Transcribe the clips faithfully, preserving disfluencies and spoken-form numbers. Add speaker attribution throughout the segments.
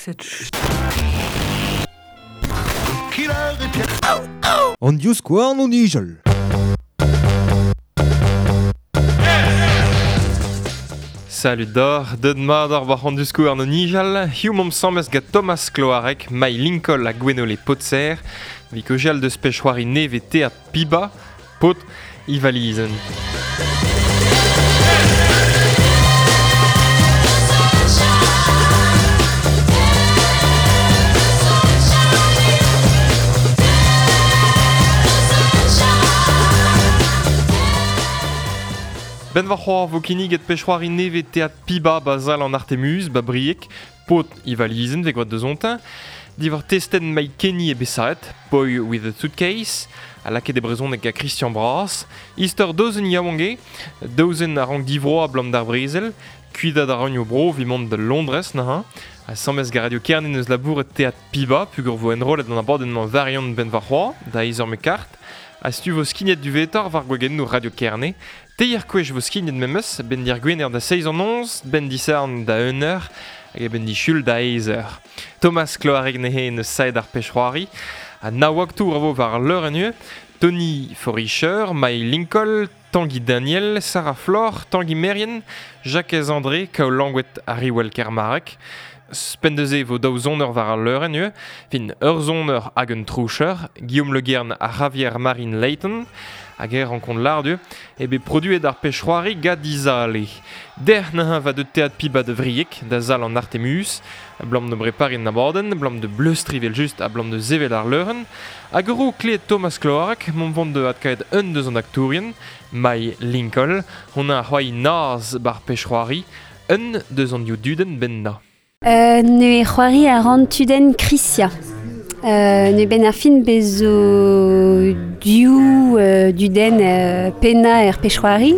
Speaker 1: Cette
Speaker 2: An diouzkouarn o nijal.
Speaker 3: Salut d'or, deud mat ar war an diouzkouarn o nijal, hiziv momp samez gant Thomas Cloarec, Mai Lincoln ha Gwenole Potser, vit kaozeal deus pezh-c'hoari nevez Teatr Piba, Paotr e valizenn. Ben war c'hoar vo kinniget pezh-c'hoari nevez Teatr Piba bazal an Artemuz, ba Brieg, Paotr e valizenn vez gwad deus ontin, diwar testenn Mike Kenny e Bessaet, Boy with a Suitcase, a lakaet e brezhoneg gant Christian Bras, istor dozen yaouank eo, dozen a rank divroa abalamour d'ar brezel, kuitat a raint o bro evit mont da Londrez neuze, ha samez gant Radio Kerne neus labouret Teatr Piba, pugur vo enrollet an abadenn-mañ variant ben war c'hoar, da eizh eur me kart, ha stu vo skignet du vetor war gwagennoù Radio Kerne, teir kwech vo skignet memes, ben dir gwener da seizh an onz, ben disarn da un eur, hag ben dichul da eizh eur. Thomas Cloarec nehe neus saet ar pezh-c'hoari, ha nav aktour a vo war leur en ue, Tony Foricher, Mai Lincoln, Tanguy Daniel, Sarah Flore, Tanguy Merien, Jacques André, Kao Langouet ha Riwell Kermarek. Spendeze vo daou zoneur war al leur en ue, fin ur zoneur hag un troucher, Guillaume Le Guern ha Javier Marine Leighton, hag er rankont lardu, e bet produet ar pezh-c'hoari gant Dizale. Der neuze va de Teatr Piba de Vrieg, da zal an Artemus, abalamour de breparin an abadenn, abalamour de bleustri vel just, abalamour de sevel ar leurenn, hag ur ro kleet Thomas Cloarec, mont vont de adkaet un deus an aktourien, Mai Lincoln, hon a c'hoari naz bar pezh-c'hoari, un deus an div dudenn benna.
Speaker 4: Euh, ne c'hoari a ran tudenn Krisia. Euh, ne ben ar fin bezo div euh, dudenn euh, penna er pezh-c'hoari.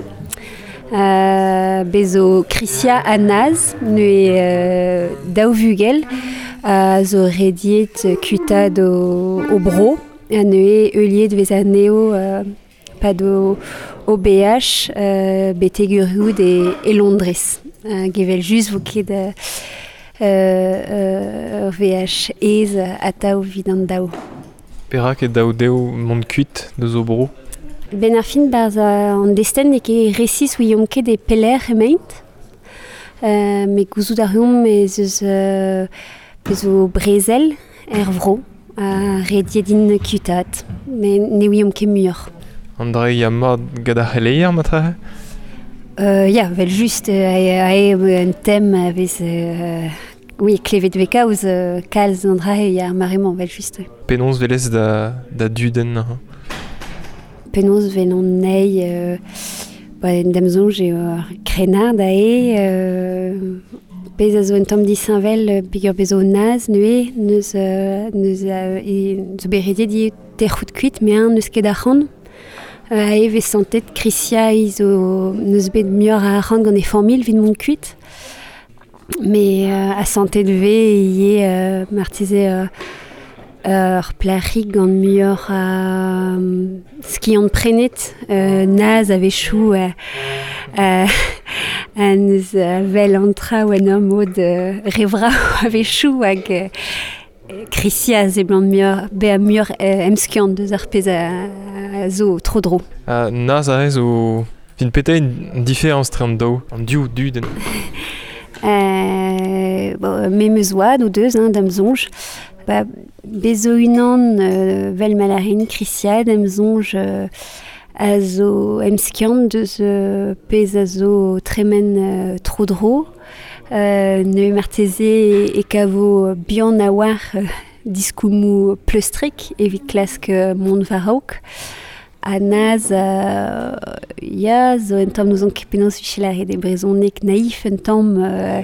Speaker 4: Euh, bezo Krisia ha Naz, ne euh, daou vugel, a zo rediet kuitad o, o bro, ha ne heuliet vez anezho euh, pad o, o B H, euh, betek uriout e, e Londrez. Euh, gevel just vo ket euh, euh, V H ez atav evit an daou.
Speaker 3: Perak e daou dezho mont kuit deus o bro?
Speaker 4: Ben ar fin barzh an destenn n'eo ket resis ouiomp ket e pelec'h emaint. Euh, met gouzout a reomp ez eus euh, zo brezel er vro, a rediet int kuitaat, met ne ouiomp ket muioc'h.
Speaker 3: An dra ya mat gant ar c'heleier matre?
Speaker 4: Euh, ya, vel just, euh, a eo un tem a vez... Euh, oui, klevet vez kaoz, euh, kalz an dra eo ar mare-mañ, vel just.
Speaker 3: Penaos velez da, da dudenn, hein?
Speaker 4: Penaos vel an nei, euh, ba, en dam soñj eo ar krennard a eo, euh, pezh a zo un tamm disheñvel, peogwir bezo naz, neuze, neus, euh, neus, euh, e, zo bet rediet ivez tec'hout kuit, met eñ n'eus ket arc'hant. Euh, a eo vez santet Krisia zo neus bet muioc'h a arc'hant gant e familh evit mont kuit. Mais euh, a santet vez ivez euh, marteze euh, ur plac'hig gant muioc'h a euh, skiant prenet, euh, naz a-wechoù euh, euh, a neus vel an traoù en ur mod euh, revra a-wechoù hag euh, Krisia a seblant muioc'h, bezañ muioc'h euh, emskiant deus ar pezh a, a zo tro dro.
Speaker 3: Uh, naz a rez o... Fin petra un différence tre an daou, an div dudenn?
Speaker 4: Euh, bon, me meus oad o deus, hein, da'm soñj. Ba, bezo unan euh, vel malarin Krisia da'm soñj euh, a zo emskiant deus euh, pezh a zo tremen euh, tro dro. Euh, ne marteze e kavo bihan a war euh, diskoulmoù pleustrek evit klask euh, mont war-raok. Ha naz, euh, ya, zo un tamm n'ouzon ket penaos vije lâret e brezhoneg naïf un tamm euh,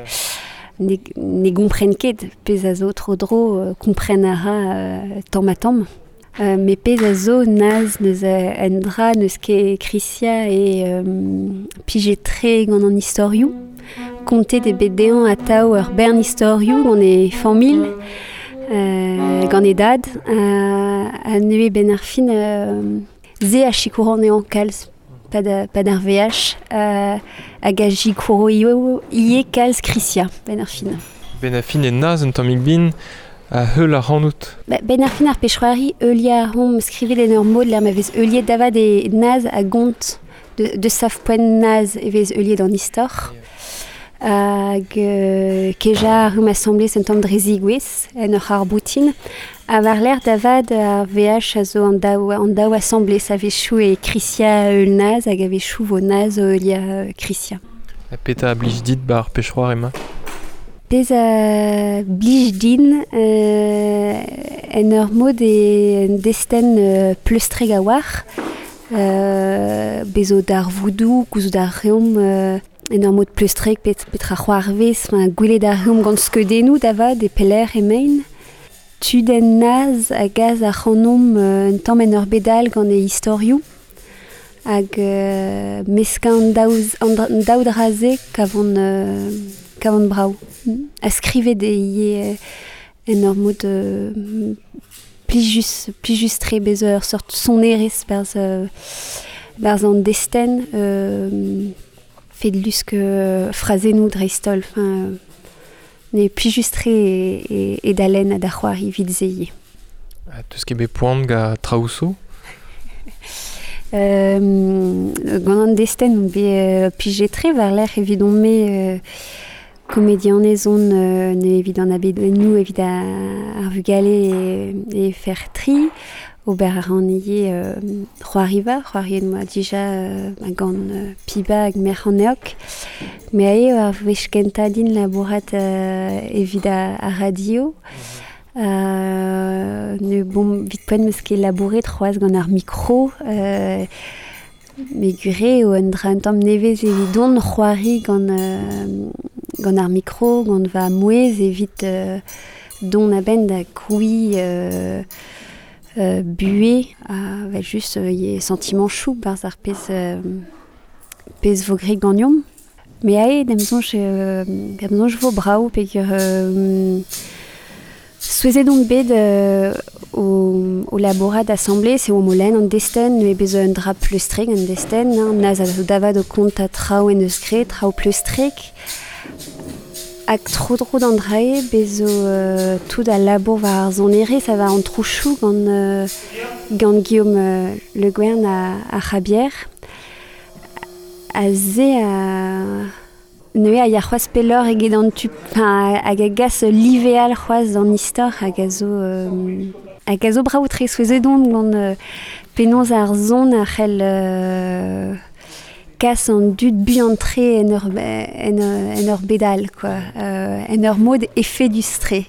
Speaker 4: ne, ne gompren ket pezh a zo tro dro, euh, kompren a ra euh, tamm ha tamm. Euh, met pezh a zo naz neus un dra neus ket Krisia e euh, plijet tre gant an istorioù. Kontet eo bet dezhañ atav ur bern istorioù gant e familh, euh, gant e dad, euh, ha neuze ben ar fin euh, ze a sikour anezhañ kalz, pad, pad ar V H, euh, hag a sikouro ivez kalz Krisia ben ar fin.
Speaker 3: Ben a fin e naz un tammig bin a heul ar rannout.
Speaker 4: Ba, ben ar fin ar pechroari eulia ar rom skrivet en ur mod l'er ma vez euliet davad e naz a gont de, de sav poent naz e vez euliet an istor. Hag euh, keja ar rum assemblé un tamm dre zigouez en ur ar boutin. A war l'air davad ar V H a zo an daou, an daou assemblé sa vez chou e Krysia eul naz hag a vez chou vo naz eulia Krysia.
Speaker 3: A peta a blij dit ba ar pechroar ema?
Speaker 4: Pez a blij din euh, en ur mod e en desten euh, pleustreg a war euh, bezo d'ar voudou, gouzout d'ar reom euh, en ur mod pleustreg pet, petra c'hoarvez, enfin, gwelet ar reom gant skeudennoù davad e peler e mein. Tudenn naz a gaz ar c'hanomp euh, un tamm en ur bedal gant e istorioù hag euh, meskañ an daou, an daou draze kavon euh, kavon brao. A skrivet e ie en ur mod euh, plijus, plijus tre bez ur sort sonerez berz, euh, berz an desten euh, fet lusk euh, frazennoù dreistol. Enfin, euh, ne plijus tre e, e, e dalen a da c'hoari evit se ivez.
Speaker 3: Ha teus ket bet poan ga traoù
Speaker 4: Euh, gant an desten on bet euh, plijet tre war l'air evidon me euh, komedianez on euh, ne evit an abed nou evit ar vugale e, e fer tri ober ar an ivez euh, c'hoariva, c'hoariet moa dija euh, gant euh, piba hag merc'h an eok. Me ae ar wech kentañ din labourat euh, evit ar, ar radio. Euh, ne bon vit poent meus ket labouret c'hoazh gant ar mikro euh, me gure o un dra un tamm nevez evidon c'hoari gant euh, gant ar mikro gant va mouez evit euh, don a-benn da krouiñ euh, euh, bué a va just euh, ye sentiment chou barz ar pezh euh, pezh vo gre gagnomp. Me ae d'em soñj euh, d'em soñj vo brao peogwir euh, Souezhet on bet euh, o, o labourat assemblé, se o molen an desten, ne bez un dra pleustreg an desten, hein, naz a zo davad o kont a traoù en eus gre, traoù pleustreg. Hag tro dro d'an drae, bez zo euh, tout a labour war ar sonerezh, ça va an trouchou gant, euh, gant Guillaume euh, Le Guern a, a Javier. A ze a... Neuze a ya c'hoazh pelloc'h eget an tu, enfin, hag a gas liveal c'hoazh d'an istor hag a zo, euh, hag a zo brao tre souezhet on gant euh, penaos ar zon a c'hell euh, kas an dud buan-tre en ur, en, en ur bedal, quoi. Euh, en ur mod efedus-tre.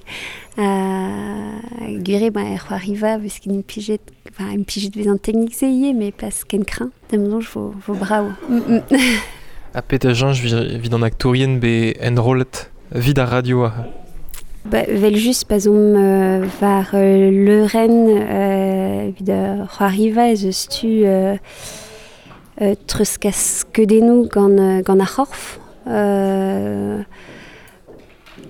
Speaker 4: Euh, gure, ba, er c'hoariva, beus ket implijet, enfin, implijet vez an teknik se ivez, mais pas ken kreñv. D'am soñj vo, vo brao. Mm, mm.
Speaker 3: A pet a jañj evit an aktourien be enrollet vid ar radio a.
Speaker 4: Ba, vel just pa zomp euh, war euh, leurenn euh, evit ar c'hoariva ez eus tu euh, euh, treuzkas skeudennoù gant, euh, gant ar c'horf. Euh,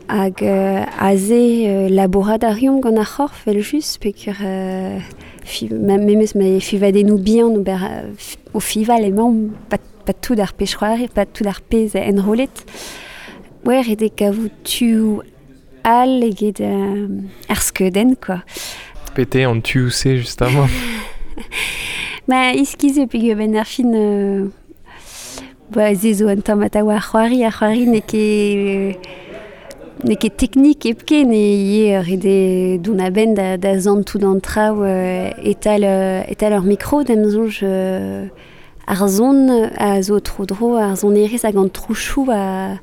Speaker 4: hag euh, aze euh, labourat a reomp gant ar c'horf vel just peogwir euh, fi, ma, memes ma fivadennoù bihan ober euh, o fival emaomp pa pas tout ar pezh c'hoari, pas tout ar pezh enrollet. Ouais, ret eo kavout tuoù all eget euh, ar skeudenn, quoi.
Speaker 3: Pete an tuoù-se just avant.
Speaker 4: Ba, iskiz eo peogwir ben ar fin euh, ba, se zo un tamm atav ar c'hoari, ar c'hoari n'eo ket n'eo ket teknik hepken e ivez ret eo dont a-benn da, da zantout an traoù euh, e-tal, euh, e-tal ur mikro, d'am soñj euh, ar zon a zo tro-dro, ar sonerezh hag an trouchoù a,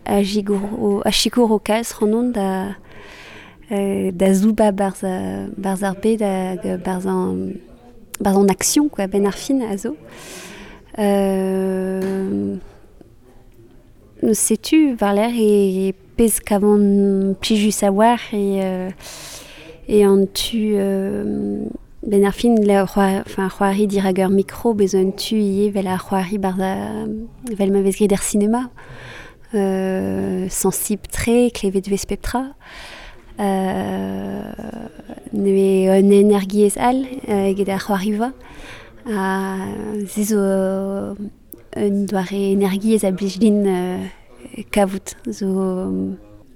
Speaker 4: a gigour, a sikour o kalz c'hanon da, euh, da zouba barz, barz ar bed hag barz an, barz an action, quoi, ben ar fin a zo. Euh, setu war l'air e, e pezh kavan plijus a war e, euh, e an tu euh, ben ar fin la c'hoar, enfin, c'hoari dirak ur mikro bez un tu ivez vel ar c'hoari barz a, vel ma vez graet er cinéma. Euh, sensibl tre, klevet vez pep tra. Euh, neuze un energiezh all euh, eget ar c'hoariva. Ha se zo un doare energiezh a blij din euh, kavout. Zo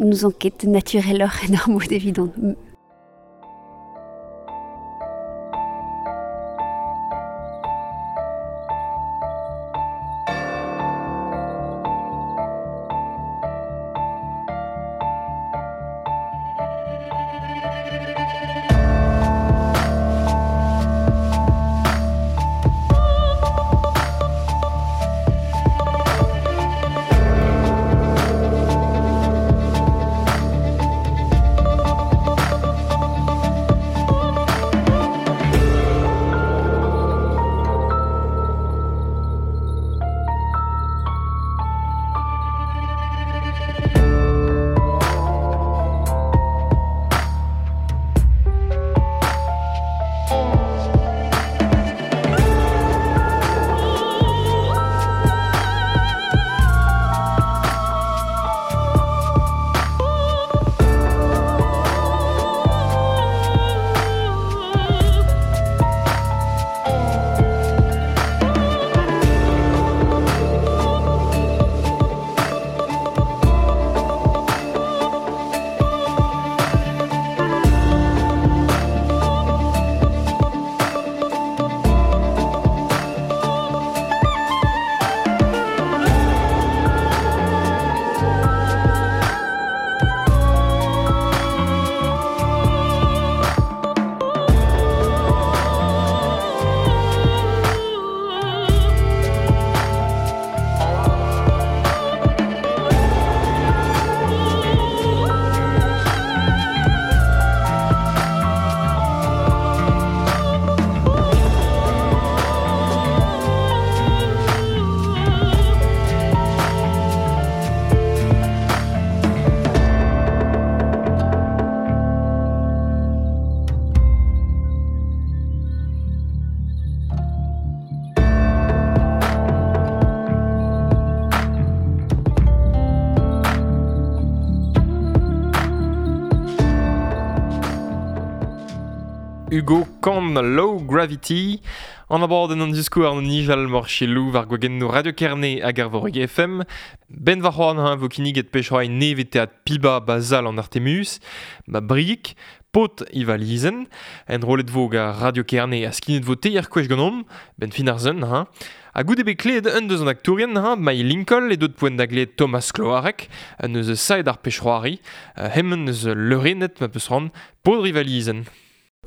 Speaker 4: Nous enquête natureloc'h en ur mod evidon.
Speaker 3: Hugo Kahn, Low Gravity. An abadenn an diskour an nijal mor chelou war gwagenno Radio Kerne hag ar Voreg F M. Ben war c'hoant ha vo kinniget pechroai neve teat piba bazal an Artemus, ba briik, pot ivalizen, en rolet vo ga Radio Kerne a skinet vo teir kwech ganom, ben fin ar zen ha. Ha goude bet kleet un deus an aktourien ha, Mai Lincoln e dot poent da gleet Thomas Cloarec, un eus saet ar pechroari, hemmen eus leurenet ma peus ran, pod rivalizen.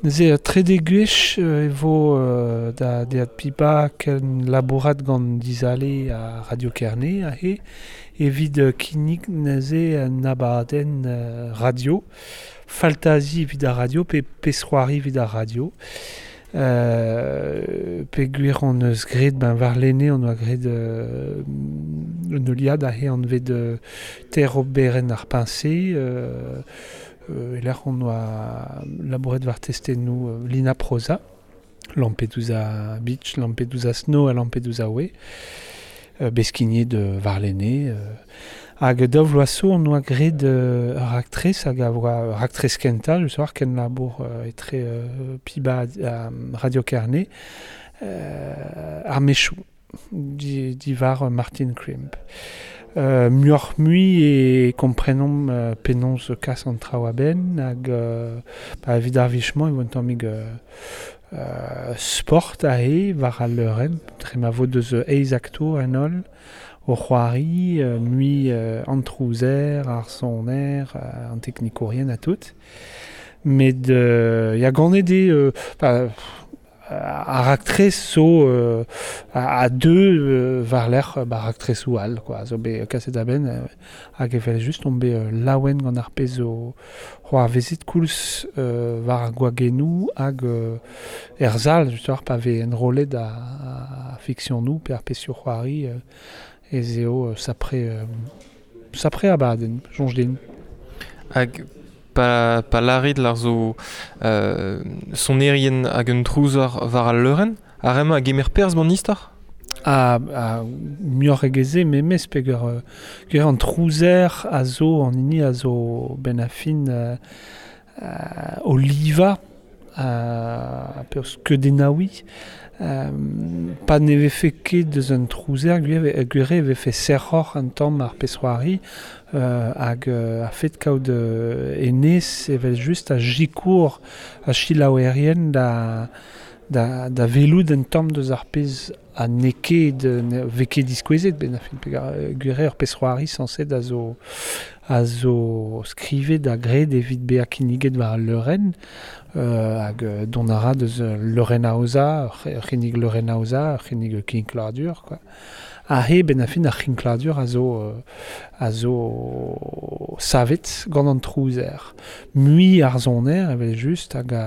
Speaker 1: Neuze trede gwech e vo euh, da deat piba ken labourat gant dizale a Radio Kerne ahe evit kinnig neuze un abadenn euh, radio faltazi evit ar radio pe pesroari evit ar radio euh, pe gwir on eus graet ben war lene on oa graet euh, un oliad ahe anvet euh, ter oberen ar piñse euh, Euh, et là on oa labouret war testennoù euh, Lina Prosa, Lampedusa Beach, Lampedusa Snow ha Lampedusa Way, euh, beskinier de Varlene. Euh, hag daou vloaz on oa graet euh, ur aktrez hag a oa ur aktrez kentañ, je soar ken labour euh, etre euh, piba a Radio Kerne, euh, ar mechou, di, divar Martin Crimp. Euh, muioc'h mui e komprenomp euh, penaos kas an traoù a-benn hag euh, ba, evit ar wech-mañ e vo un tammig euh, euh, sport ahe war al leurenn dre ma vo deus eizh aktour en holl o c'hoari euh, mui euh, an trouzer, ar soner, euh, an teknikourien ha tout. Met euh, ya ganet eo euh, ba, ar aktrez zo euh, a, a deux euh, war lerc'h ba, ar aktresoù all quoi zo bet kaset a-benn euh, hag evel just on bet euh, laouen gant ar pezh zo c'hoar vezit koulz euh, war ar gwagennoù hag euh, er zal just war pa vez enrollet a, a fiksionoù pe ar pezhioù c'hoari euh, ez eo euh, sapre euh, sapre abadenn soñj din.
Speaker 3: Hag pa, pa larit lar zo euh, sonerien hag un trouzer war al leurenn, ar emañ a gemer perzh ban istor?
Speaker 1: A, a muioc'h egeze memes peger euh, ger an trouzer a zo an hini a zo ben a fin euh, euh, oliva euh, peus keudennaoui Euh, pa ne vefe ket deus un trouzer, gwire e vefe serroc'h an tamm ar pezh-c'hoari euh, hag euh, a fet kaout euh, enez evel just a jikour a chilaouerien da, da, da velout un tamm deus ar pezh a n'eo ket ne vez ket diskouezet ben a fin gwire ur pezh-c'hoari sañset a zo a zo skrivet da graet evit bezañ kinniget war al leurenn euh, hag dont a ra deus leurenn aozañ, ur c'hinnig leurenn aozañ, ur c'hinnig kinkladur, quoi. Ha he ben a fin ar c'hinkladur a zo, a zo savet gant an trouzer. Mui ar soner evel just hag a,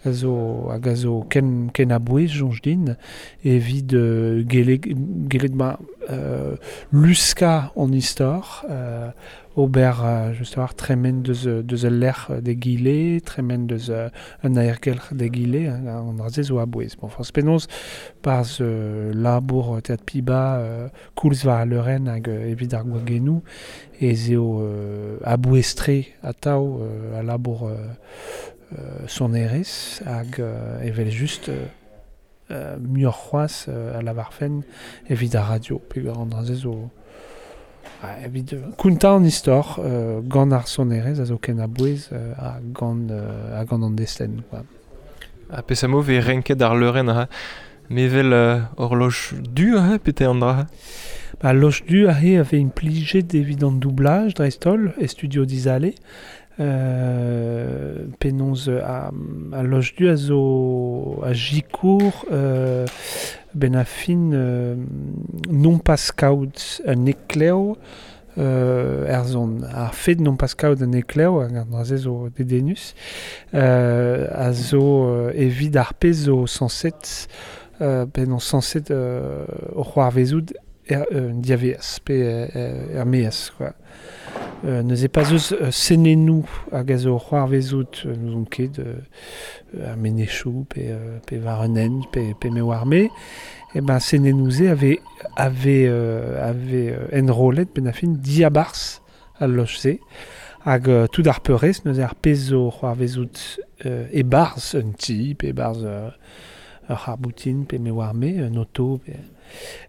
Speaker 1: a zo, hag a zo ken, ken a-bouez soñj din evit euh, gellet, gellet ma euh, luska an istor, euh, ober euh, just war tremen deus, deus ul lec'h d'egile, tremen deus euh, un aergelc'h d'egile, an dra-se zo a-bouez. Bon, forzh penaos barzh euh, labour Teatr Piba euh, koulz war al leurenn hag euh, evit ar gwagennoù ez eo euh, a-bouez-tre atav euh, a labour euh, euh, sonerezh hag euh, evel just euh, euh, muioc'h c'hoazh euh, a lavarfen evit ar radio, peogwir an dra-se zo evit kontañ an istor euh, gant ar sonerezh a zo ken a-bouez euh, ha gant, euh, ha gant an destenn, quoi.
Speaker 3: Ha peseurt mod vez renket ar leurenn ha mevel euh, horloge du ha pete an dra?
Speaker 1: Ba, loch du aze a vez implijet evit an doublage dreist-holl e studio Dizale. Euh, penaos a, a loch du a zo a jikour euh, ben a fin euh, non pas kaout un eklev euh, er zon. Ar fet non pas kaout un eklev, hag an dra-se zo dedennus, euh, a zo euh, evit ar pezh zo sañset euh, penaos sañset euh, o c'hoarvezout er, euh, diaveaz, pe euh, er maez, quoi. Euh, neuze pas eus euh, senennoù hag a zo c'hoarvezout euh, n'ouzon ket euh, ar menezioù pe, euh, pe war un hent pe, pe me oar me, e ben senennoù-se avait, avait, euh, avait euh, enrollet ben a fin diabarzh al loch-se hag euh, tout ar peurrest neuze ar pezh zo c'hoarvezout euh, e-barzh un ti pe e-barzh euh, ur c'harboutin pe me oar me, un auto pe,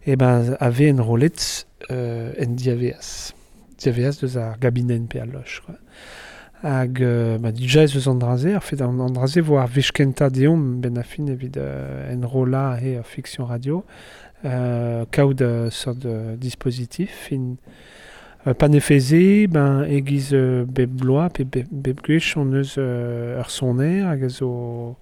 Speaker 1: e ben avait enrollet euh, en diaveaz. Diaveaz deus ar gabinenn pe al loch, quoi. Hag euh, ba, dija ez eus an dra-se, ar fet an, an dra-se vo ar wech kentañ deomp ben a fin evit euh, enrollañ he ur fiction radio, euh, kaout euh, seurt euh, dispositif fin euh, pa ne feze, ben e-giz euh, bep bloaz pe bep, bep gwech on eus euh, ur soner hag a zo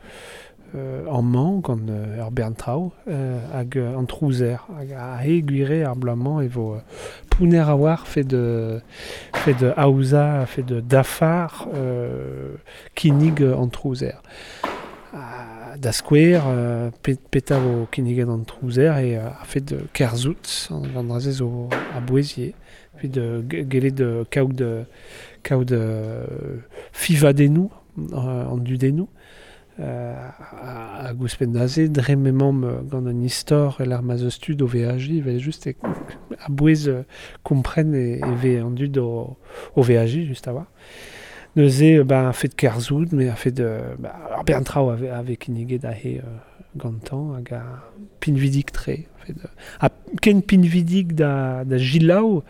Speaker 1: euh, amañ gant euh, ur bern traoù euh, hag euh, an trouzer hag a he gwire ar bloaz-mañ e vo euh, pouner a war fet de fet de aozañ, fet de dafar euh, kinnig an trouzer. Ha, da skouer, euh, pet, peta vo kinniget an trouzer e euh, a fet de kerzhout an, an dra-se zo a-bouez evit de gellet de kaout de kaout de fivadennoù euh, an dudennoù. Euh, hag ouzhpenn aze, dre m'emaomp gant un istor e l'ar ma'z eus tud o veajiñ, evel just e a-bouez euh, kompren e, e vez an dud o, o veajiñ, just a-walc'h. Neuze, ba, a fet kerzhout, met a fet euh, ba, ar bern traoù a vez kinniget aze euh, gantañ hag a pinvidik-tre. Fet, ha ken pinvidik da, da jilaou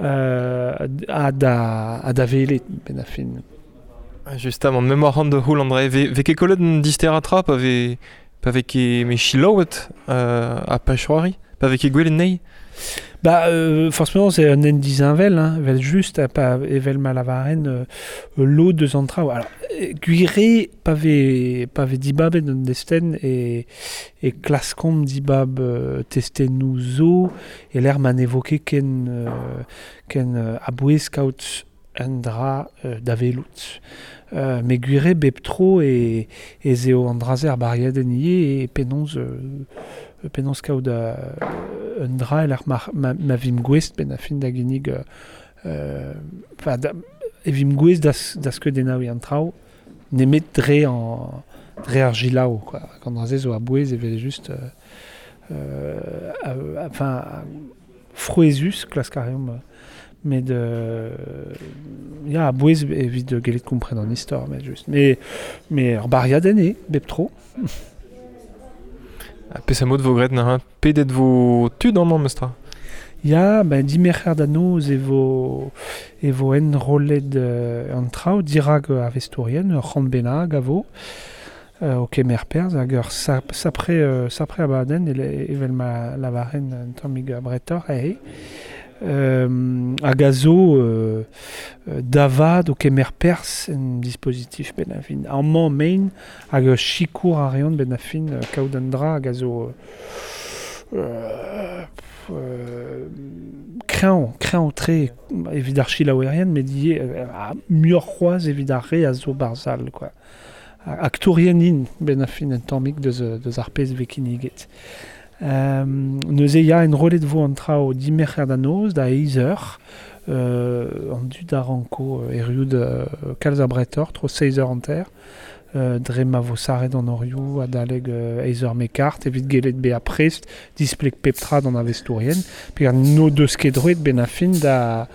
Speaker 1: euh, ha da, ha da welet, ben a fin.
Speaker 3: Justement, memor an de c'houl André, ve, ve ket kollet un dister a tra pa ve, pa ve ket me chilaouet euh, a pech-c'hoari, pa ve ket gwelet nei?
Speaker 1: Ba, euh, forcément, c'est un en dizinvel, hein, evel just, ha pa evel ma lavaren euh, lo deus an traoù. Alors, gwire, pa ve, pa ve dibabet un destenn e, e klaskomp dibab euh, testennoù zo, e l'er ma n'evoke ken, euh, ken euh, a-bouez kaout un dra euh, da velout. Euh, me gwire bep tro e, ez eo an dra-se ar bariadenn ivez e penaos, euh, penaos kaout euh, un dra e l'ar ma, ma, ma vim gouest ben a fin da ginnig euh, enfin, da, e vim gouest da, da skeudennaouiñ an traoù nemet dre an, dre ar jilaou, quoi. An dra-se zo a-bouez evel just euh, euh, enfin frouezhus klask a reomp met euh, ya a-bouez evit gellet kompren an istor, met just. Mais, mais ur bariadenn eo, bep tro.
Speaker 3: Pes a mod vo gret na pedet vo tud amañ mestra.
Speaker 1: Ya, ben dimerc'her da noz e vo, e vo enrollet euh, an traoù dirag a vestourien, ur c'hant bennak a vo, euh, o kemer perzh hag ur sap, sapre, euh, sapre abadenn evel ma lavaren un tammig bretor ahe. Euh, hag a zo euh, davad o kemer perzh en dispositif ben a fin. Amañ mein hag ur sikour a reont ben a fin kaout an dra hag a zo euh, Euh, kreñv, kreñv tre evit ar chilaouerien, met ivez euh, muioc'h c'hoazh evit ar re a zo barzhal, quoi. Aktourien int ben a fin un tammig deus, deus ar pezh vez kinniget. Euh, neuze ya enrollet vo an traoù dimerc'her da noz, da eizh eur, euh, an dud a ranko eriout euh, kalz a bretor, tro seizh eur hanter, Euh, dre ma vo saret an orioù adaleg euh, eizh eur mekart, evit gellet bezañ prest, displeg pep tra d'an avestourien, pe an no deus ket droet ben a fin da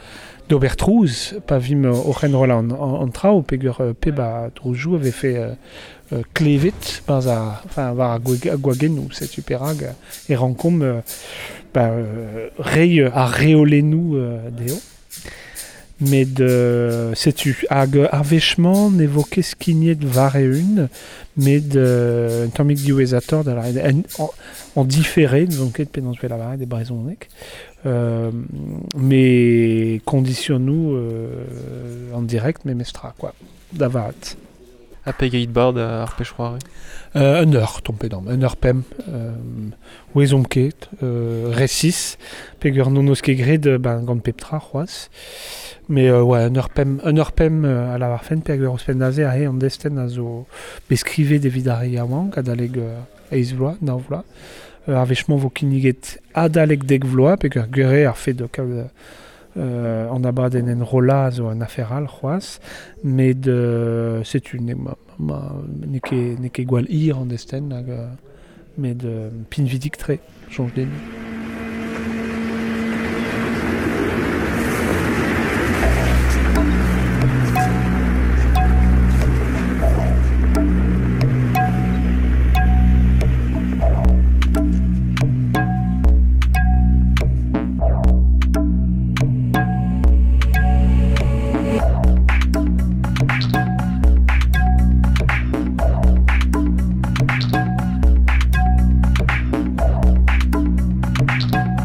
Speaker 1: d'ober trouz, pa vim oc'h enrollañ an, an, an traoù, peogwir euh, pep a trouzoù a vefe euh, euh, klevet barzh ar, enfin, war ar gwagennoù, setu perak e rankomp euh, ba, euh, reiñ ar reolennoù euh, dezho. Met euh, setu hag ar wech-mañ ne vo ket skignet war-eeun, met euh, un tammig diwezhatoc'h da lâret en, en, en différé, n'ouzon ket penaos vez lavaret e brezhoneg, euh, met kondisionoù euh, en direct memestra, quoi, da vat.
Speaker 3: Ha pegeit bard ar pech c'hoari?
Speaker 1: Euh, un eur, tompet dam, un eur pemp, euh, ouezomp ket, euh, resis, peogwir n'hon eus ket graet ben, gant pep tra c'hoazh. Mais euh, ouais, un eur pemp, un eur pemp euh, a lavar fen, peogwir ouzhpenn aze aze an destenn a zo bet skrivet evit ar re yaouank, adalek euh, eizh vloaz, nav vloaz. Euh, ar wech-mañ vo kinniget adalek dek vloaz, peogwir gwir eo ar fed kaout euh, an abadenn enrollañ a zo un afer all c'hoazh, met euh, setu ne, ma, ma, n'eo ket, n'eo ket gwall hir an destenn, hag, euh, met euh, pinvidik-tre, soñj din.
Speaker 5: Thank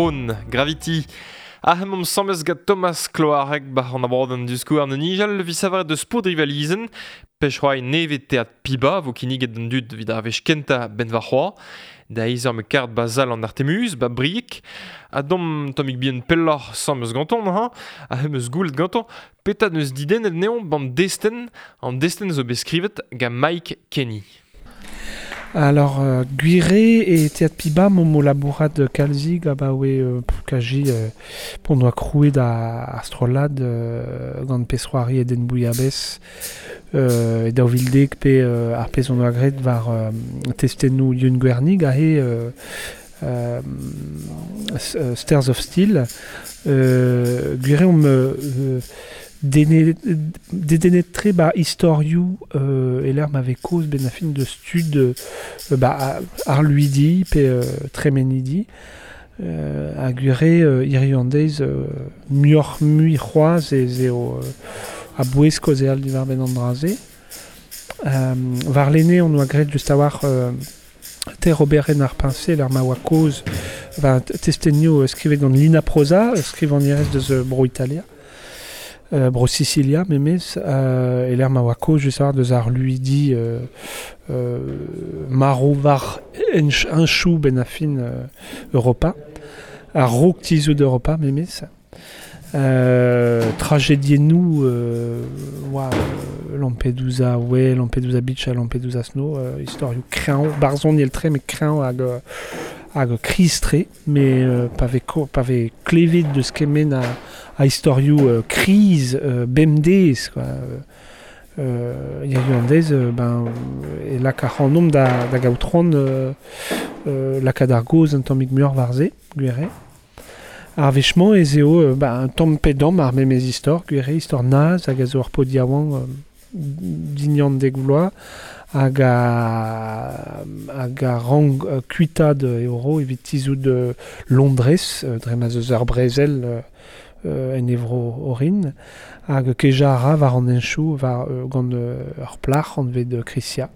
Speaker 3: Bron, Gravity. Ah, mom samez gat Thomas Cloarec bar an abadenn diskouarn an nijal vi savar deus pod rivalizen pech c'hoai neve teat piba vo kinniget d'an dud vid ar wech kenta ben va c'hoa da izer me kart bazal an Artemuz ba briek a dom tomik bien pelloc'h samez ganton ha a hem eus goulet ganton peta neus didennet neon ban desten an desten zo beskrivet ga Mike Kenny.
Speaker 1: Alors, euh, Guiré et Théâtre Piba, mon labourat de Kalzig, ah bah ouais, euh, kaji, euh, pour nous crouer da astrolade, euh, gant pesroari et den bouillabès, euh, et da vildek pe euh, ar pez on oa gret var euh, testennou Yun Gwernig, ahe euh, euh, Stairs of Steel, euh, Guiré on me... Euh, Dedennet tre ba istorioù euh, eler m'ave koz ben a fin de stud euh, ba ar luidi pe euh, tremenidi euh, a gure euh, iriandez euh, muioc'h mui c'hoaz ez eo euh, a bouez kozeal diwar ben an dra-se. Euh, war lene on oa graet just a-walc'h euh, ter oberen ar piñse l'ar ma oa koz va testenioù euh, skrivet gant Lina Prosa, skrivañerez deus euh, Bro Italia. Euh, Bro Sicilia memez euh, e l'er ma oa koz just a-walc'h deus ar luidi euh, euh, maro war un chou ben a fin euh, Europa ar rok tizout d'Europa memez euh, tragédiennou euh, oa Lampedusa ouais Lampedusa Beach ha Lampedusa Snow euh, istorioù kreñv barzhoniel tre met kreñv hag hag kriz-tre mais euh, pa vez ko, pa vez klevet deus kement a a istorioù euh, kriz euh, bemdez quoi euh, hiziv an deiz euh, ben e lak ar c'hanomp da da gaout c'hoant euh, euh, lakaat ar gaoz un tammig muioc'h war-se gwir eo. Ar wech-mañ ez eo euh, ben, un tamm pe damm ar memez istor gwir eo istor naz hag a zo ur paotr yaouank euh, dignan dek vloaz hag a hag a rank euh, kuitaat euro evit tizout euh, Londrez euh, dre ma zeus ar brezel euh, euh, en evro orin hag keja a ra war an henchoù war euh, gant euh, ur plac'h anvet de Chrisia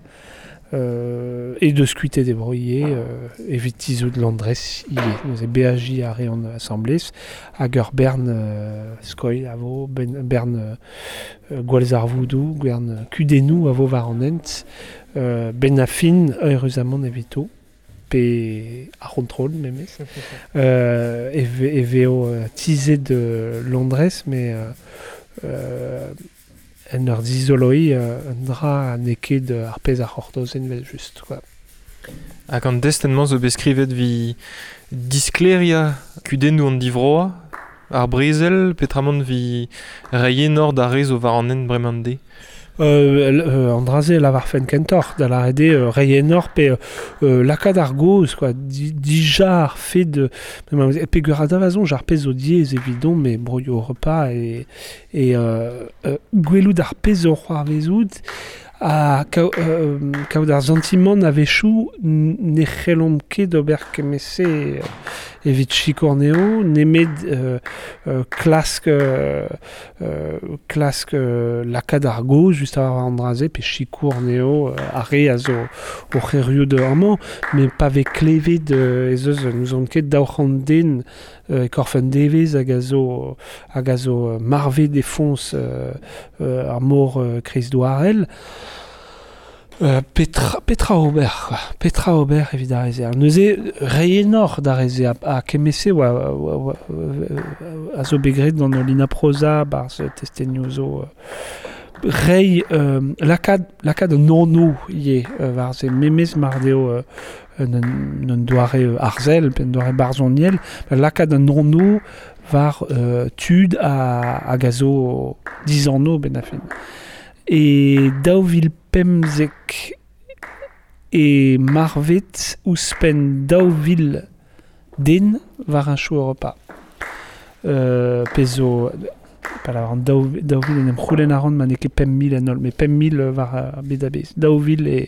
Speaker 1: euh, e deus kuitet e bro ivez euh, evit tizout Londrez ivez. Neuze beajiñ a reont asambles hag ur bern euh, skoilh a vo, ben, bern euh, gwallzarvoudoù, bern kudennoù a vo war an hent euh, ben a fin eüruzamant evito pe ar c'hontrol memez euh, e ve, e veo euh, tizet de Londrez mais euh, euh, en ur dizoloi euh, un dra n'eo ket ar pezh ar c'hortozen vel just quoi.
Speaker 3: Hag an destenn-mañ zo bet skrivet vi diskleria kudennoù an divroa ar brezel petramant vi reiñ enor d'ar re zo war an hent bremañ de.
Speaker 1: Euh, euh, an dra-se lavar fen kentoc'h da lâret eo euh, reiñ enor pe euh, lakaat ar gaoz quoi di, dija ar fed de peogwir a-davazon ar pezh zo diaes evidon me broioù Europa e, e euh, euh, gwelout ar pezh zo c'hoarvezout ha kaout euh, kaout ar santimant a-wechoù ne c'hellomp ket ober kement-se evit sikour anezho nemet euh, euh, klask euh, euh, klask euh, lakaat ar gaoz just a-war an dra-se pe sikour anezho euh, ar re a zo o c'herioù de amañ met pa vez klevet euh, ez eus n'ouzon ket daou c'hant den euh, e korf un devezh hag a zo hag a zo marvet e foñs euh, euh, ar mor euh, kreizdouarel. Euh, petra, petra ober, quoi. Petra ober evit ar re-se. Neuze, reiñ enor d'ar re-se a, a kement-se oa, oa, oa, a zo bet graet gant Lina Prosa barzh testenioù zo euh, reiñ euh, lakaat, lakaat an anv ivez euh, war-se memez mar deo euh, un, un, un doare arzel, pe un doare barzhoniel, lakaat an anv war euh, tud a, hag a zo dizanv ben a fin. E daou vil pemzek e marvet ouzhpenn daou vil den war un chou Europa. Euh, pezh zo, pa lavar an daou, daou vil en em c'houlenn a ran ma n'eo ket pemp mil en holl, met pemp mil war ar bed a-bezh. Daou vil e,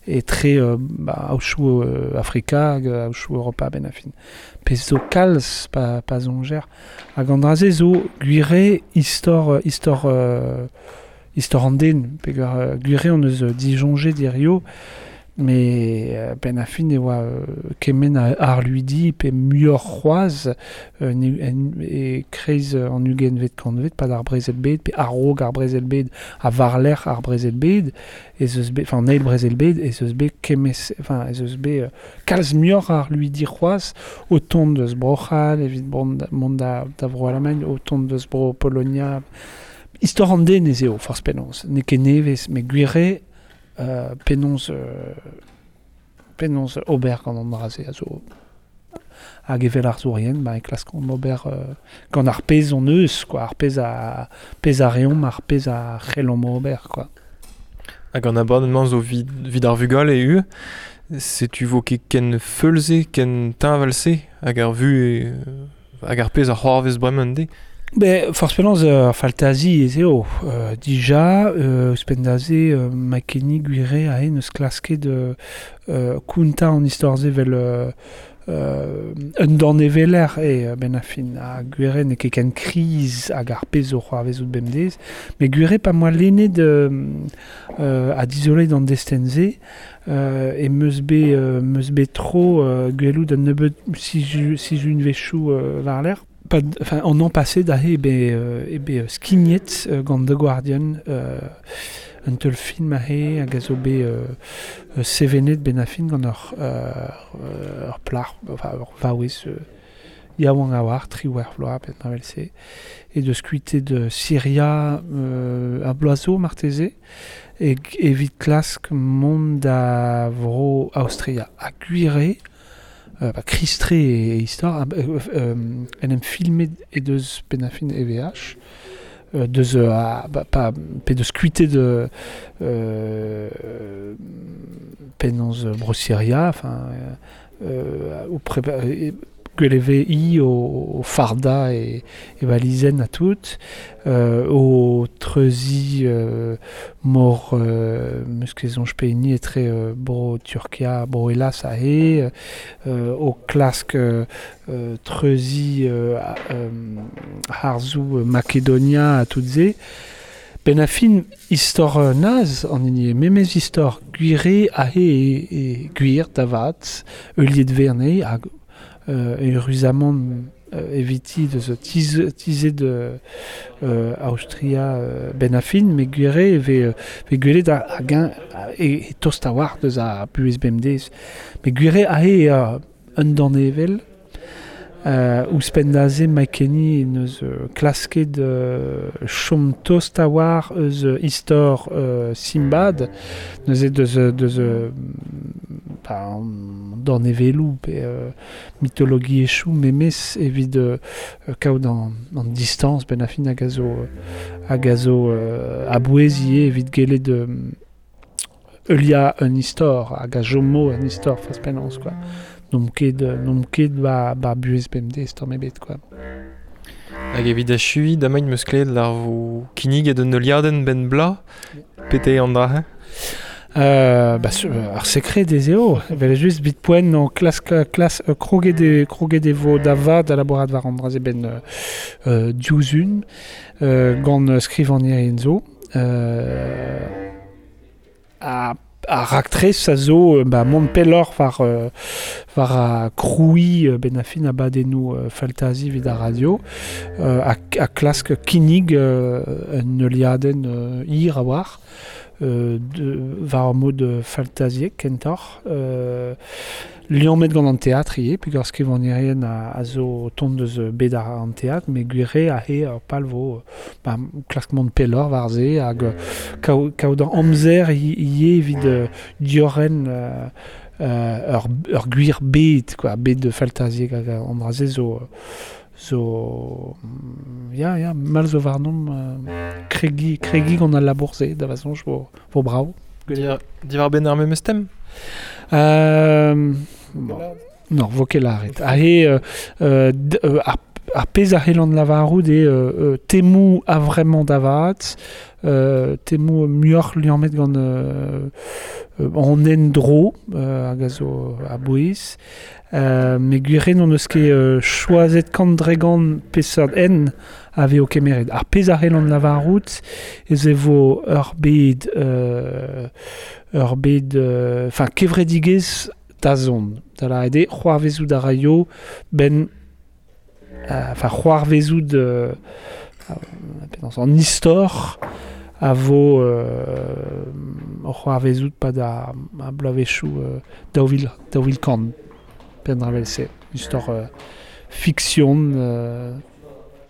Speaker 1: e tre euh, ba, aochoù euh, Afrika hag aochoù Europa ben a fin. Pezh zo kalz pa, pa soñjer. Hag an dra-se zo gwir eo istor, istor euh, istor an den, peogwir euh, gwir eo on eus disoñjet hirio, Mais euh, ben a fin e oa euh, kement a arluidi pe muioc'h c'hoazh euh, ne, en, e kreiz an ugentvet kantvet pad ar brezel bed pe a-raok ar brezel bed ha war-lerc'h ar brezel bed ez eus bet, enfin an eil brezel bed ez eus bet kemez, enfin ez eus bet euh, kalz muioc'h arluidi c'hoazh o tont deus Bro-C'hall evit mont mont da, da Vro-Alamagn, o tont deus Bro Polonia. Istor an den ez eo, forzh penaos. N'eo ket nevez, met gwir eo euh, penaos, euh, penaos ober gant an dra-se a zo hag evel arzourien, ba, e klaskont ober euh, gant ar pezh hon eus, quoi, ar pezh a, pezh a reomp, ar pezh a c'hellomp ober, quoi.
Speaker 3: Hag an abadenn-mañ zo vid, vid ar vugale e setu vo ket ken feulze, ken teñval-se, hag ar vu e, hag ar pezh a c'hoarvez bremañ de.
Speaker 1: Be, forzh penaos ur euh, faltazi ez eo. Euh, dija, euh, ouzhpenn da se, euh, Makenny gwire aze neus klasket euh, euh, kontañ an istor-se vel euh, euh, un daneveller e ben a fin a gwire n'eo ket ken kriz hag ar pezh zo c'hoarvezout bemdez, met gwire pa moa lennet euh, euh, ha dizolet an destenn-se euh, e meus bet, euh, meus bet tro euh, gwelout un nebeud sizhunvezhioù euh, war-lerc'h. Pad, enfin, an an passé da eo bet, euh, eo bet skignet euh, gant The Guardian euh, un teul film aze hag a zo bet euh, sevenet ben a fin gant ur, euh, ur plac'h, enfin, ur vaouez euh, yaouank a oar, triwec'h vloaz, pe an evel-se, e deus kuitaet de Syria euh, ar bloaz zo marteze, e, evit klask mont da vro Aostria. Ha gwir eo, Euh, ba, kristre e, e istor, euh, euh, en em filmet e deus penn-ar-fin E V H, euh, deus euh, a, ba, pa, pe deus kuitaet de euh, penaos bro Syria, enfin euh, o prépa, e, gwell e i o, o farda e, e valizenn a tout, euh, o treuzi euh, mor euh, meus ket soñj pehini etre euh, bro Turkia, bro Hellas aze, euh, o klask euh, treuzi euh, euh, harzoù Makedonia a tout se. Ben a fin istor euh, naz an hini eo, memez istor gwir eo aze e, e gwir da vat, heuliet verne hag Euh, eüruzamant euh, eviti deus tiz, tizet de euh, Aostria euh, ben a fin, met gwir eo e vez, vez gwelet hag eñ e, e tost a-walc'h deus ar buhez bemdez. Met gwir eo aze eo un danevell euh, ouzhpenn da se Makenny neus euh, klasket euh, chom tost a-walc'h eus euh, istor euh, Simbad, neuze deus, deus euh, ba, an danevelloù pe euh, mitologiezhioù memes evit euh, kaout an, an distañs ben a fin hag a zo, hag a zo euh, a-bouez ivez evit gellet euh, heuliañ un istor hag a chomo un istor forzh penaos, quoi. N'omp ket, n'omp ket ba, ba buhez bemdez tamm ebet, quoi.
Speaker 3: Hag evit achuiñ damañ meus klevet lar vo kinniget un heuliadenn ben bla, pete an dra, hein?
Speaker 1: Euh, bah, su, ar sekred ez eo, evel just bit poent an klas, klas euh, kroget e, kroget e vo da vat da labourat war an dra-se ben euh, diouzhun, euh, gant skrivagnerien zo. Euh, a Ar raktres a zo ba, mont pelloc'h war, euh, war a krouiñ euh, ben a fin abadennoù euh, faltazi evit ar radio, euh, a, a klask kinnig euh, un heuliadenn euh, hir a-walc'h, euh, de, war ar mod faltaziek kentoc'h, euh, liammet gant an teatr ivez, peogwir skrivagnerien a, a zo tont deus bed ar an teatr, met gwir eo aze ur pal vo ba, klask mont pelloc'h war se hag kaout, kaout an amzer ivez evit euh, diorren euh, euh, ur, ur gwir bed, quoi, bed de faltaziek hag an dra-se zo zo ya ya mal zo warnomp euh, kregi kregi gant al labour-se da va soñj vo, vo brav.
Speaker 3: Diwar-benn ar memes tem?
Speaker 1: Euh, bon. Non, vo ket lâret. Aze, euh, euh, d, euh, ar, Ar pezh a c'hellan lavarout eo euh, temou a vraiment davat, euh, temou muioc'h liammet gant euh, an endro euh, hag a zo a bouez. Euh, me gwir on eus ket euh, choazet kant dregant peseurt en a veo kemeret. Ar pezh a c'hellan lavarout ez e vo ur bed euh, ur bed enfin euh, kevredigezh da zon. Da la ede c'hoarvezout a raio ben enfin euh, c'hoarvezout euh, en istor a vo euh, c'hoarvezout pa da a bloavezhioù euh, daou vil, daou vil kant penn-dra-vel-se. Istor euh, fiction euh,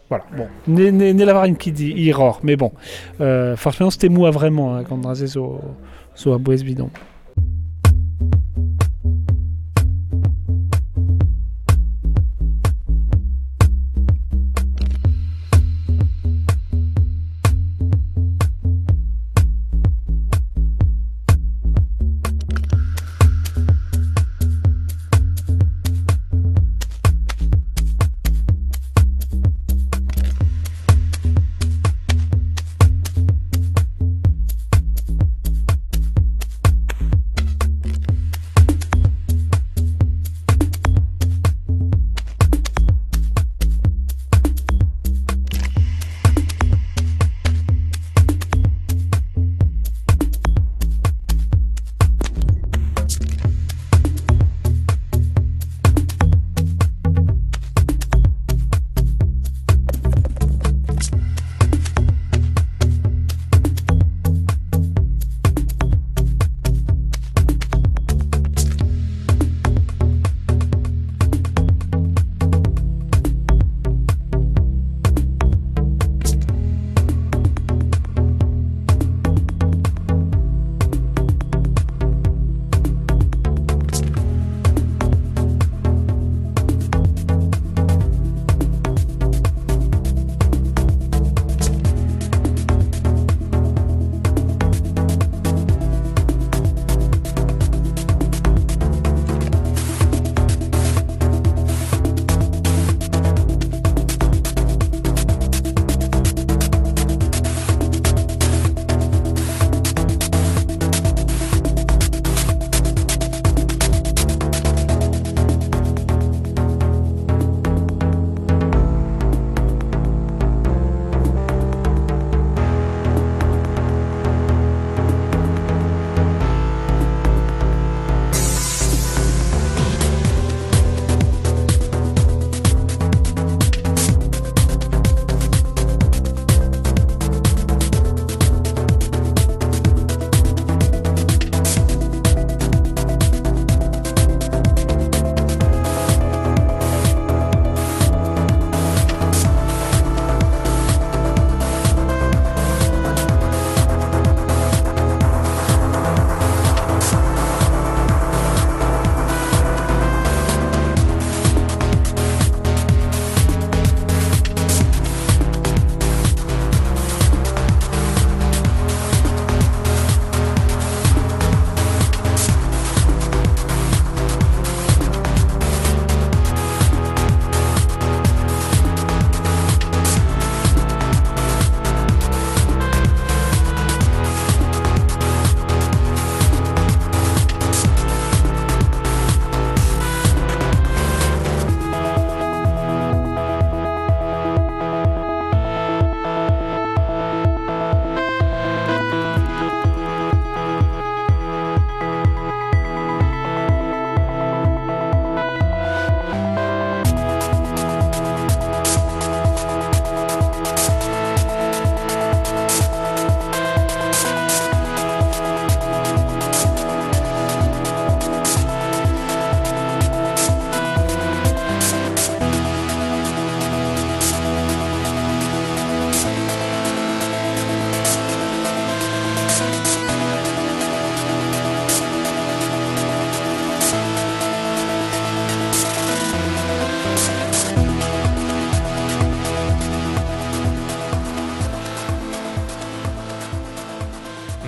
Speaker 1: voilà, bon. Ne, ne, ne lavarin ket hiroc'h, mais bon. Euh, forcément, c'était moi vraiment, hein, quand draze zo, zo a bouez bidon.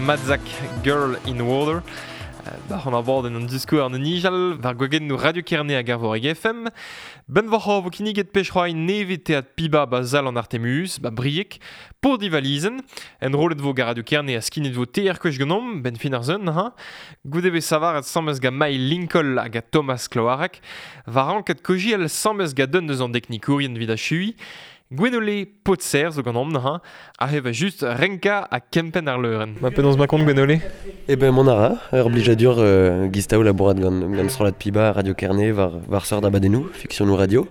Speaker 3: Madzak Girl in Water. Ba an abadenn an diskour an nijal, war gwagennoù Radio Kerne hag ar Voreg F M. Ben war vo kinniget pech-c'hoari nevez teat Piba ba zal an Artemus, ba Brieg, pour divalizen. En rolet vo ga Radio Kerne a skinnet vo teer kwech genom, ben fin ar zun, ha. Goude be savaret samez ga Mai Lincoln hag a Thomas Cloarec, war anket kojiel samez ga dun deus an deknikourien vid a chui. Gwenole Potser zo gant omp ha, a heva just renka a kempen ar leuren. Ma penaos ma kont Gwenole?
Speaker 5: Eh ben mon ara, ur blijadur euh, gistao labourat gant, gant strollad Piba, Radio Kerne, war, war sort abadennoù, fiksionoù radio.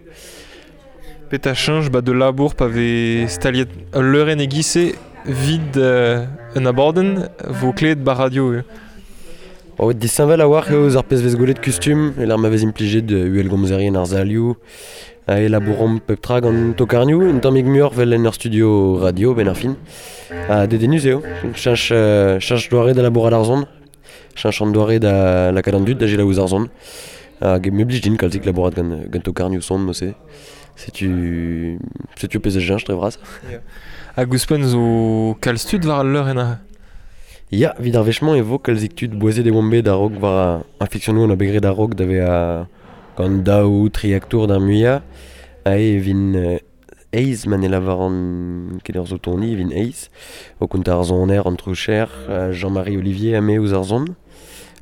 Speaker 3: Pet a change ba de labour pa ve staliet leuren e gise vid euh, un abadenn vo kleet ba radio. Euh.
Speaker 5: Oh, disheñvel a war eo ar pezh vez gwelet kustum, e l'ar ma vez implijet uel gomzerien ar zalioù, a e labourom pep tra gant tokarnioù, un tammig muioc'h vel en ur studio radio ben ar fin. Ha dedennus eo, chanch, euh, chanch doare da labourat ar zon, chanch an doare da lakaat an dud da gelaouz ar zon. Hag me blij din kalzik labourat gant, gant tokarnioù son, mo-se. Setu, setu pezh e jench dre vras.
Speaker 3: Yeah. Hag ouzhpenn zo kalz tud war al leurenn a?
Speaker 5: Ya, vid ar wech-mañ e vo kalzik tud boazet e oamp bet a-raok war ar fiksionoù an a bet graet a-raok da vezañ gant daou tri aktour d'ar muiañ. Ha e vin euh, eiz ma ne lavaran ket ur zo toni, e vin eiz. O kontañ ar soner, an troucher, Jean-Marie Olivier ha me ouzh ar son.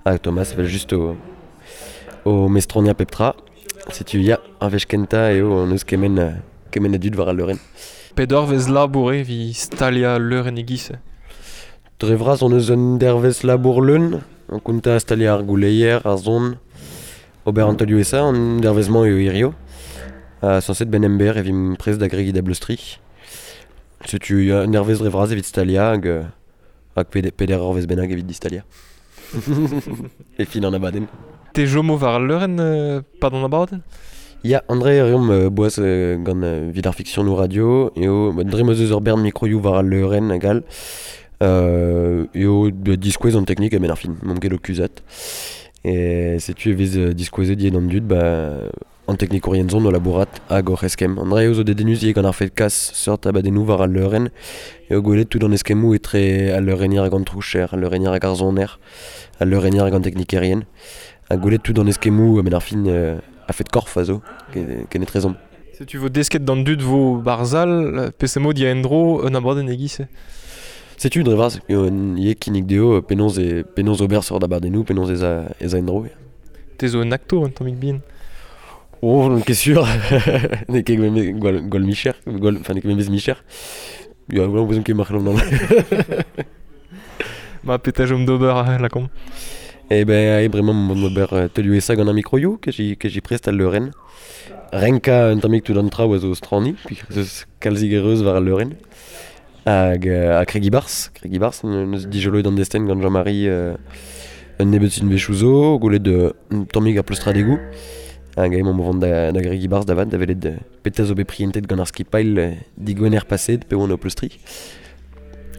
Speaker 5: Ha Thomas vel just o, o mestronia pep tra. Setu ya, ar wech kentañ eo an eus kement, kement a dud war al leurenn.
Speaker 3: Pet ur vez labour e vi stalia leurenn e giz?
Speaker 5: Dre vras on eus un dervez labour leun, an kontañ stalia ar gouleier, ar zon, ober an taolioù esa, an dervez-mañ eo hirio. Ha sañset ben ember e vimp prest da gregiñ da bleustri. Setu un dervez dre vras evit stalia hag, hag peder, peder ur vez bennak evit distalia. E fin an abadenn.
Speaker 3: Te jomo war al leurenn euh, pa d'an abadenn?
Speaker 5: Ya, André reomp euh, boaz euh, gant euh, vid ar fiksionoù radio, eo dre ma zeus ur bern mikroioù war al leurenn hag all. Euh, eo diskouez an teknik a-benn ar fin, m'omp ket o kuzhat. E setu e vez diskouezet ivez d'an dud, ba, an teknikourien zon o labourat hag oc'h eskemm. An dra eo zo dedennus ivez gant ar fed kas seurt abadennoù war al leurenn, eo gwelet tout an eskemmoù etre al leurennier hag an troucher, al leurennier hag ar soner, al leurennier hag an teknikerien. Ha gwelet tout an eskemmoù a-benn ar fin euh, a fed korf a zo, ken etrezomp.
Speaker 3: Setu vo desket d'an dud vo barzal, pesemo dia endro un abadenn e giz?
Speaker 5: Setu dre vras, ivez kinnig dezho penaos e penaos ober seurt abadennoù, penaos ez a, ez a endro.
Speaker 3: Te zo un aktour un tammig bihan?
Speaker 5: Oh, non ket sur. N'eo ket gwall, gwall micher, gwall, enfin n'eo ket memez micher. Ya, voilà, on ket marc'h nan.
Speaker 3: Ma pet a jom d'ober lakomp.
Speaker 5: Eh ben, e bremañ mont d'ober teulioù esa gant ar mikroioù, ke j'y, ke j'y prest al leurenn. Renka un tammig tout an traoù a zo strani, puis eus kalzik ereus war al leurenn. Hag a kregi bars, kregi bars, neus dijoloet an destenn gant Jean-Marie euh, un nebeud sin wechoù zo, gwelet un tammig ar pleustradegoù. Hag emañ o vont da, da gregi bars da vat, da welet petra zo bet prientet gant ar skipailh digwener paset pe oan o pleustri.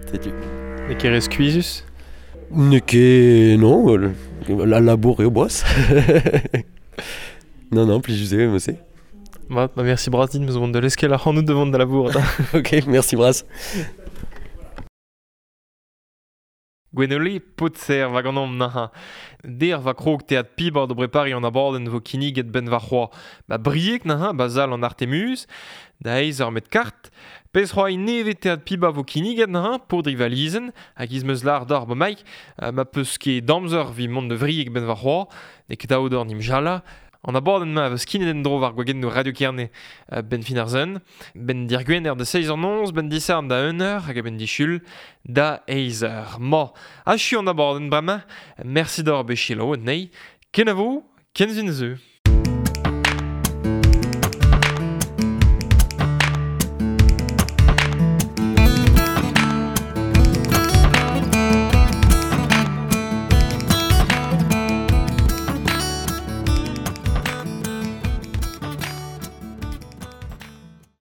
Speaker 5: Setu.
Speaker 3: N'eo ket re skuizhus?
Speaker 5: N'eo ket... non, la labour eo boaz. Non, non, plijus eo, mo-se.
Speaker 3: Ba, ba merci bras din, meus vont da leskel ar c'hanout da vont da labour.
Speaker 5: Ok, merci bras.
Speaker 3: Gwenole Potser va gant omp naha. Der va krog teat Piba do brepari an abadenn vo kinniget ben va c'hoa. Ba Brieg naha, ba zal an Artemus, da eiz ur met kart. Pezh c'hoari nevez teat Piba vo kinniget naha, pour drivalizen, hag iz meus lar d'ar ba maik, ma peus ket damzer vi mont de Vrieg ben va c'hoa, ne ket aodor nim jala. An abadenn ma vez kinnet en dro war gwagennoù Radio Kerne ben fin ar zun, ben dir gwener da seiz eur noz, ben disarn da un eur, hag ben dichul da eiz eur. Ma, achu an abadenn bremañ, merci d'or bet selaouet nei, kenavo, ken zun zeu.